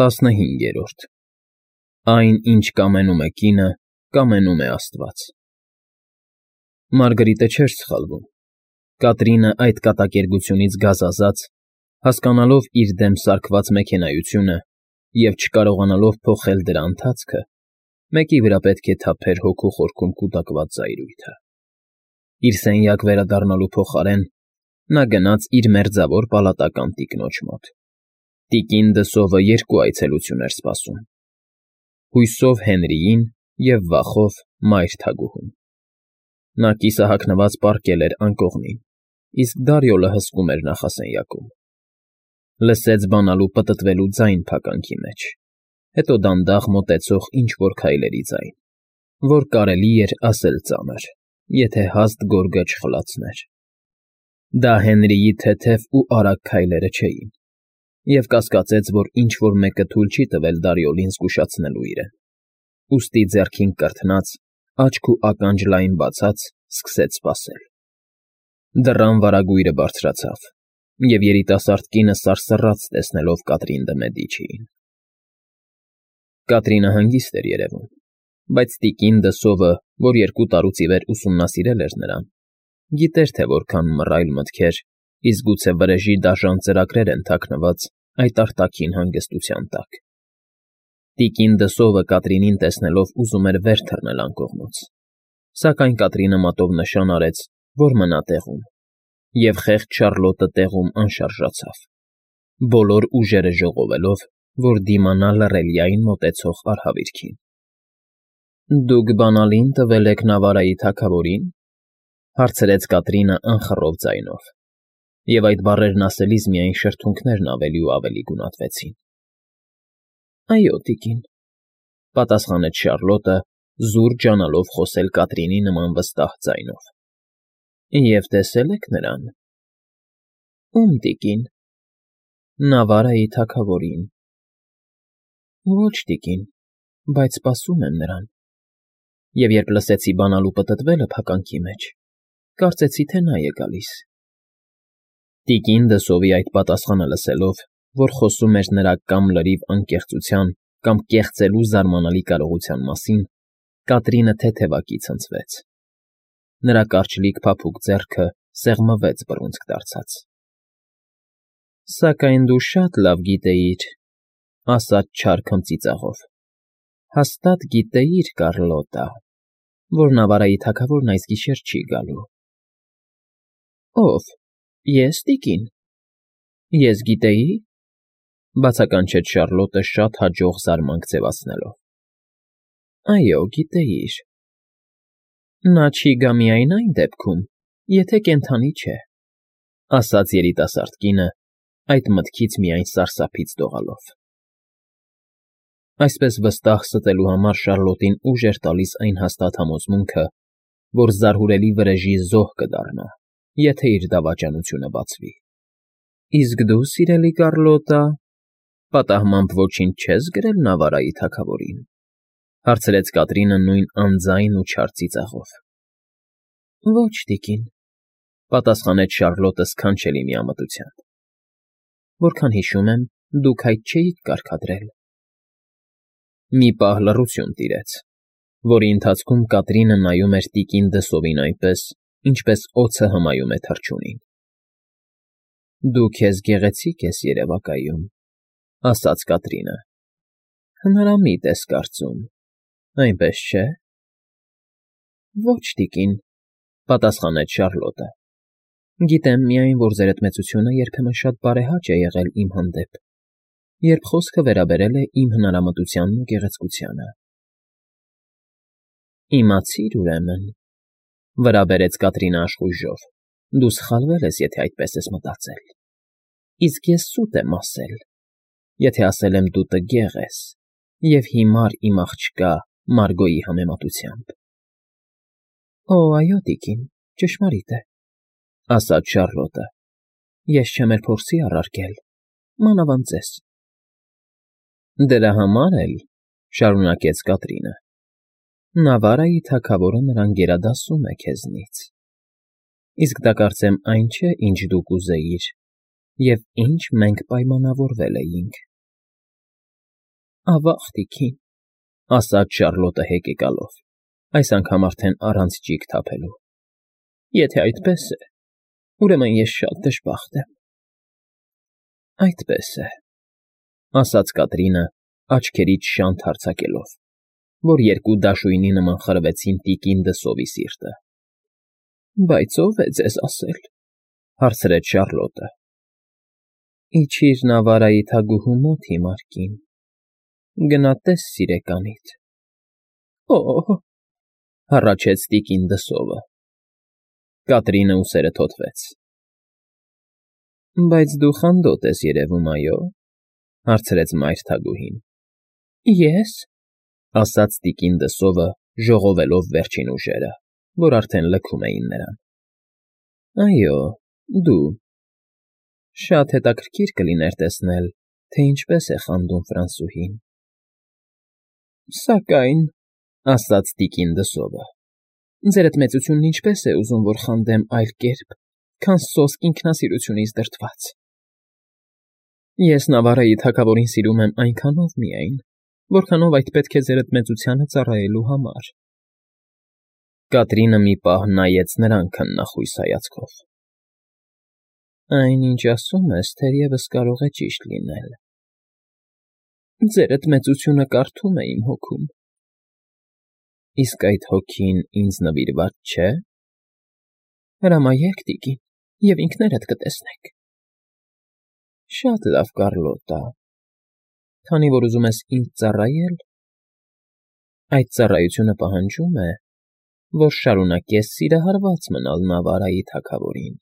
15 Այն, ինչ կամենում է կինը, կամենում է Աստված։ Մարգրիտը չէր սխալվում։ Կատրինը այդ կատակերգությունից գազազած, հասկանալով իր դեմ սարքված մեքենայությունը և չկարողանալով փոխել դրա ընթացքը, մեկի վրա պետք է թափեր հոգու խորքում կուտակված զայրույթը։ Իր սենյակ վերադառնալու փոխարեն նա գնաց իր մերձավոր պալատական տիկնոջ մոտ։ Տիկին Դսովը երկու այցելություն էր սպասում. հույսով Հենրիին և վախով մայր թագուհուն։ Նա կիսահագնված պառկել էր անկողնին, իսկ Դարիոլը հսկում էր նախասենյակում։ Լսեց բանալու պտտվելու ձայն փականքի մեջ, հետո դանդաղ մոտեցող ինչ֊որ քայլերի ձայն, որ կարելի էր ասել ծանր, եթե հաստ գորգը չխլացներ։ Դա Հենրիի թեթև ու արագ քայլերը չէին, և կասկածեց, որ ինչ֊որ մեկը թույլ չի տվել Դարիոլին զգուշացնելու իրեն, ուստի ձեռքին կրթնած, աչք ու ականջ լայն բացած, սկսեց սպասել։ Դռան վարագույրը բարձրացավ, և երիտասարդ կինը սարսռաց, տեսնելով Կատրին դը Մեդիչիին։ Կատրինը հանգիստ էր երևում, բայց տիկին Դսովը, որ 2 տարուց ի վեր ուսումնասիրել էր նրան, գիտեր, թե որքան մռայլ մտքեր, իսկ գուցե վրեժի դաժան ծրագրեր են թաքնված այդ արտաքին հանգստության տակ։ Տիկին Դսովը Կատրինին տեսնելով ուզում էր վեր թռնել անկողնուց, սակայն Կատրինը մատով նշան արեց, որ մնա տեղում, և խեղճ Շարլոտը տեղում անշարժացավ, բոլոր ուժերը ժողովելով, որ դիմանա լռելիային մոտեցող արհավիրքին։ «Դուք բանալին տվել եք Նավարայի թագավորին», հարցրեց Կատրինը անխռով ձայնով, և այդ բառերն ասելիս միայն շրթունքներն ավելի ու ավելի գունատվեցին։ «Այո, տիկին», պատասխանեց Շարլոտը, զուր ջանալով խոսել Կատրինի նման վստահ ձայնով։ «Եվ տեսե՞լ եք նրան»։ «Ո՞ւմ տիկին»։ «Նավարայի թագավորին»։ «Ոչ, տիկին, բայց սպասում եմ նրան, և երբ լսեցի բանալու պտտվելը փականքի մեջ, կարծեցի, թե նա է գալիս»։ Տիկին Դսովի այդ պատասխանը լսելով, որ խոսում էր նրա կամ լրիվ անկեղծության, կամ կեղծելու զարմանալի կարողության մասին, Կատրինը թեթևակի ցնցվեց։ Նրա կարճլիկ փափուկ ձեռքը սեղմվեց բռունցք դարձած։ «Սակայն դու շատ լավ գիտեիր», ասաց չար քմծիծաղով, «հաստատ գիտեիր, Կարլոտա, որ Նավարայի թագավորն այս գիշեր չի գալու»։ «Ո՞վ, ես, տիկին»։ «Ես գիտեի», բացականչեց Շարլոտը շատ հաջող զարմանք ձևացնելով։ «Այո, գիտեիր»։ «Նա չի գա միայն այն դեպքում, եթե կենդանի չէ», ասաց երիտասարդ կինը, այդ մտքից միայն սարսափից դողալով։ Այսպես վստահ ստելու համար Շարլոտին ուժ էր տալիս այն հաստատ համոզմունքը, որ զարհուրելի վրեժի զոհ կդառնա, եթե իր դավաճանությունը բացվի։ «Իսկ դու, սիրելի Կարլոտա, պատահմամբ ոչինչ չես գրել Նավարայի թագավորին», հարցրեց Կատրինը նույն անձայն ու չար ծիծաղով։ «Ոչ, տիկին», պատասխանեց Շարլոտը սքանչելի միամտությամբ։ «Որքան հիշում եմ, դուք այդ չէիք կարգադրել»։ Մի պահ լռություն տիրեց, որի ընթացքում Կատրինը նայում էր տիկին Դսովին այնպես, ինչպես օձը հմայում է թռչունին։ «Դու քեզ գեղեցիկ ես երևակայում», ասաց Կատրինը։ «Հնարամիտ ես կարծում, այնպես չէ՞։ «Ոչ, տիկին», պատասխանեց Շարլոտը։ «Գիտեմ միայն, որ ձերդ մեծությունը երբեմն շատ բարեհաճ է եղել իմ հանդեպ, երբ խոսքը վերաբերել է իմ հնարամտությանն ու գեղեցկությանը»։ «Իմացիր, ուրեմն», վրա բերեց Կատրինը աշխույժով, «դու սխալվել ես, եթե այդպես ես մտածել, իսկ ես սուտ եմ ասել, եթե ասել եմ դու տգեղ ես և հիմար իմ աղջկա Մարգոյի համեմատությամբ»։ «Օ, այո, տիկին, ճշմարիտ է», ասաց Շարլոտը։ «Ես չեմ էլ փորձի առարկել, մանավանդ ձեզ»։ «Դրա համար էլ», շարունակեց Կատրինը, «Նավարայի թագավորը նրան գերադասում է քեզնից։ Իսկ դա կարծեմ այն չէ, ինչ դու կուզեիր և ինչ մենք պայմանավորվել էինք»։ Ավաղ, տիկին, ասաց Շառլոտը հեկեկալով, այս անգամ արդեն առանց ճիգ թափելու։ Եթե այդպես է, ուրեմն ես շատ դժբախտ եմ։ Այդպես է, ասաց Կատրինը, աչքերից շանթ արձակելով, որ երկու դաշույնի նման խրվեցին տիկին Դսովի սիրտը։ Բայց ո՞վ է ձեզ ասել, հարցրեց Շառլոտը։ Իջիր Նավարայի թագուհու մոտ հիմար կին, գնա տես սիրեկանիդ։ Օ՜օ, հառաչեց տիկին Դսովը։ Կատրինը ուսերը թոթվեց։ Բայց դու խանդոտ ես երևում, այո, հարցրեց մայր թագուհին։ Ես, ասաց տիկին Դսովը, ժողովելով վերջին ուժերը, որ արդեն լքում էին նրան։ Այո, դու։ Շատ հետաքրքիր կլիներ տեսնել, թե ինչպես է խանդում Ֆրանսուհին։ Սակայն, ասաց տիկին Դսովը, ձերդ մեծությունն ինչպես է ուզում, որ խանդեմ այլ կերպ, քան սոսկ ինքնասիրությունից դրդված։ Ես Նավարայի թագավորին սիրում եմ այնքանով միայն, որքանով այդ պետք է ձերդ մեծությանը ծառայելու համար։ Կատրինը մի պահ նայեց նրան քննախույս հայացքով։ Այն, ինչ ասում ես, թերևս կարող է ճիշտ լինել։ Ձերդ մեծությունը կարդում է իմ հոգում։ Իսկ այդ հոգին ինձ նվիրված չէ։ Հրամայեք, տիկին, և ինքներդ կտեսնեք։ Շատ լավ, Կառլոտա, քանի որ ուզում ես ինձ ծառայել, այդ ծառայությունը պահանջում է, որ շարունակես սիրահարված մնալ Նավարայի թագավորին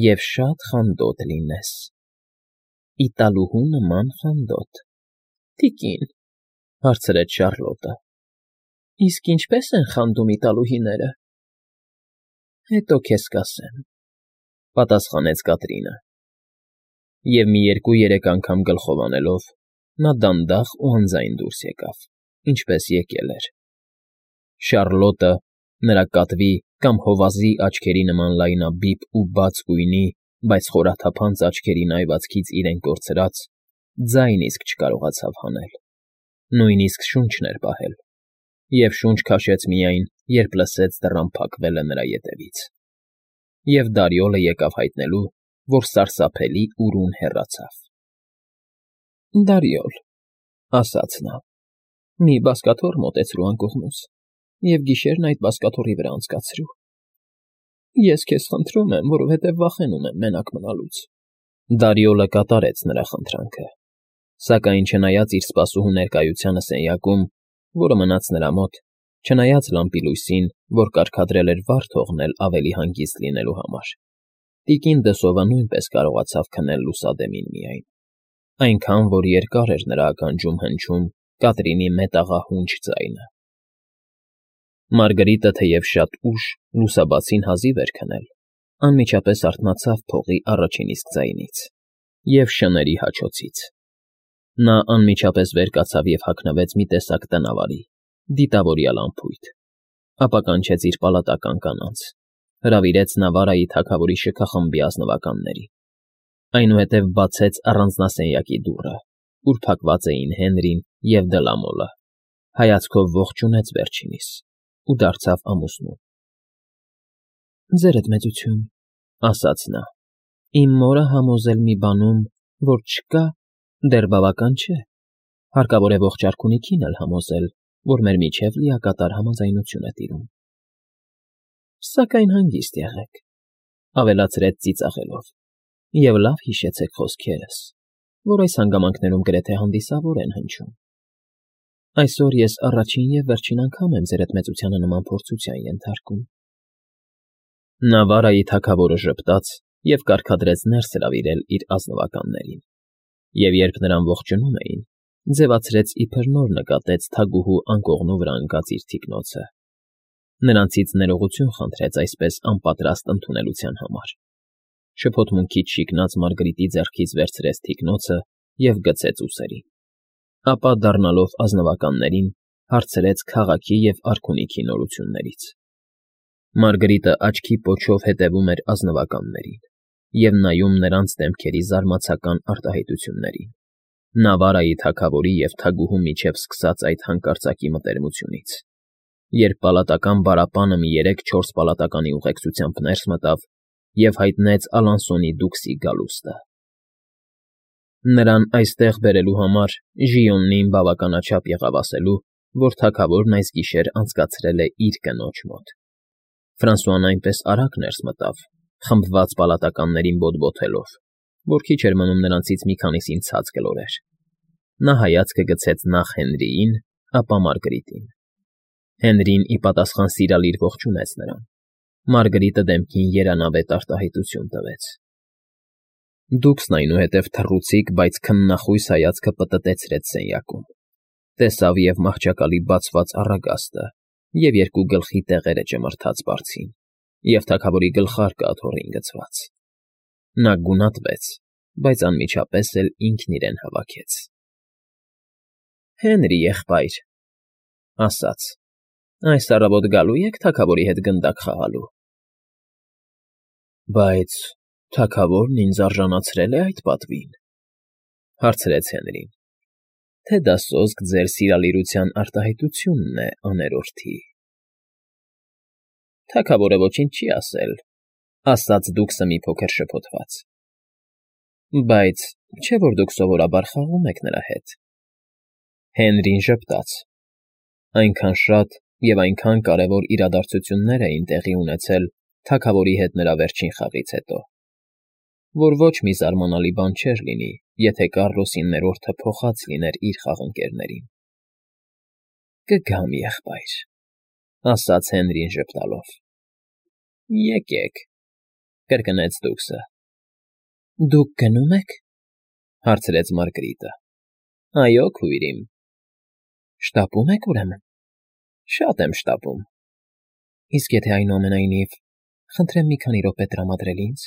և շատ խանդոտ լինես, իտալուհու նման խանդոտ։ Տիկին, հարցրեց Շառլոտը, իսկ ինչպես են խանդում իտալուհիները։ Հետո քեզ կասեմ, պատասխանեց Կատրինը։ Եվ մի 2-3 անգամ գլխով անելով, նա դանդաղ ու անձայն դուրս եկավ, ինչպես եկել էր։ Շառլոտը նրա կատվի կամ հովազի աչքերի նման լայնաբիբ ու բաց գույնի, բայց խորաթափանց աչքերին այվածքից իրեն կորցրած, ձայն իսկ չկարողացավ հանել, նույնիսկ շունչն էր պահել, և շունչ քաշեց միայն, երբ լսեց դռան փակվելը նրա ետևից։ Եվ Դարիոլը եկավ հայտնելու, որ սարսափելի ուրուն հեռացավ։ Դարիոլ, ասաց նա, մի բազկաթոռ մոտեցրու անկողնուս, և գիշերն այդ բազկաթոռի վրա անցկացրու։ Ես քեզ խնդրում եմ, որովհետև վախենում եմ մենակ մնալուց։ Դարիոլը կատարեց նրա խնդրանքը, սակայն չնայած իր սպասուհու ներկայությանը սենյակում, որը մնաց նրա մոտ, չնայած լամպի լույսին, որ կարգադրել էր վար թողնել ավելի հանգիստ լինելու համար, տիկին Դսովը նույնպես կարողացավ քնել լուսադեմին միայն, այնքան, որ երկար էր նրա ականջում հնչում Կատրինի մետաղահունչ ձայնը։ Մարգրիտը, թեև շատ ուշ լուսաբացին հազիվ էր քնել, անմիջապես արթնացավ փողի առաջին իսկ ձայնից և շների հաչոցից։ Նա անմիջապես վեր կացավ և հագնվեց մի տեսակ տնավարի, դիտավորյալ անփույթ, ապա կանչեց իր պալատական կանանց, հրավիրեց Նավարայի թագավորի շքախմբի ազնվականներին, այնուհետև բացեց առանձնասենյակի դուռը, ուր փակված էին Հենրին և Դլամոլը, հայացքով ողջունեց վերջինիս ու դարձավ ամուսնուն։ Ձերդ մեծություն, ասաց նա, իմ մորը համոզել մի բանում, որ չկա, դեռ բավական չէ, հարկավոր է ողջ արքունիքին էլ համոզել, որ մեր միջև լիակատար համաձայնություն է տիրում։ Սակայն հանգիստ եղեք, ավելացրեց ծիծաղելով, և լավ հիշեցեք խոսքերս, որ այս հանգամանքներում գրեթե հանդիսավոր են հնչում։ Այսօր ես առաջին և վերջին անգամ եմ ձերդ մեծությանը նման փորձության ենթարկում։ Նավարայի թագավորը ժպտաց և կարգադրեց ներս հրավիրել իր ազնվականներին, և երբ նրան ողջունում էին, ձևացրեց իբր նոր նկատեց թագուհու անկողնու վրա ընկած իր թիկնոցը։ Նրանցից ներողություն խնդրեց այսպես անպատրաստ ընդունելության համար, շփոթմունքից շիկնած Մարգրիտի ձեռքից վերցրեց թիկնոցը և գցեց ուսերին, ապա դառնալով ազնվականներին, հարցրեց քաղաքի և արքունիքի նորություններից։ Մարգրիտը աչքի պոչով հետևում էր ազնվականներին և նայում նրանց դեմքերի զարմացական արտահայտություններին, Նա Վարայի թագավորի և թագուհու միջև սկսած այդ հանկարծակի մտերմությունից, երբ պալատական բարապանը մի 3-4 պալատականի ուղեկցությամբ ներս մտավ և հայտնեց Ալանսոնի դուքսի գալուստը։ Նրան այստեղ բերելու համար Ժիոնին բավականաչափ եղավ ասելու, որ թագավորն այս գիշեր անցկացրել է իր կնոջ մոտ։ Ֆրանսուան այնպես արագ ներս մտավ, խմբված պալատականներին բոտբոթելով, որ քիչ էր մնում նրանցից մի քանիսին ցած գլորեր։ Նա հայացքը գցեց նախ Հենրիին, ապա Մարգրիտին։ Հենրին ի պատասխան սիրալիր ողջունեց նրան։ Մարգրիտը դեմքին երանավետ արտահայտություն տվեց։ Դուքսն այնուհետև թռուցիկ, բայց քննախույս հայացքը պտտեցրեց սենյակում, տեսավ և մահճակալի բացված առագաստը, և երկու գլխի տեղերը ճմրթած բարձին, և թագավորի գլխարկը աթոռին գցված։ Նա գունատվեց, բայց անմիջապես էլ ինքն իրեն հավաքեց։ ֊ Հենրի եղբայր,֊ ասաց,֊ այս առավոտ գալո՞ւ եք թագավորի հետ գնդակ խաղալու։ ֊ Բայց թագավորն ինձ արժանացրել է այդ պատվին,֊ հարցրեց Հենրին,֊ թե դա սոսկ ձեր սիրալիրության արտահայտությունն է, աներորդի։ ֊ Թագավորը ոչինչ չի ասել,֊ ասաց դուքսը մի փոքր շփոթված,֊ բայց չէ՞ որ դուք սովորաբար խաղում եք նրա հետ։ Հենրին ժպտաց. այնքան շատ և այնքան կարևոր իրադարձություններ էին տեղի ունեցել թագավորի հետ նրա վերջին խաղից հետո, որ ոչ մի զարմանալի բան չէր լինի, եթե Կառլոսի ներորդը փոխած լիներ իր խաղընկերներին։ ֊ Կգամ, եղբայր,֊ ասաց Հենրին ժպտալով։ ֊ Եկեք,֊ կրկնեց դուքսը։ ֊ Դուք գնո՞ւմ եք,֊ հարցրեց Մարգրիտը։ ֊ Այո, քույր իմ։ ֊ Շտապո՞ւմ եք, ուրեմն։ ֊ Շատ եմ շտապում։ ֊ Իսկ եթե այնուամենայնիվ, խնդրեմ մի քանի րոպե տրամադրել ինձ։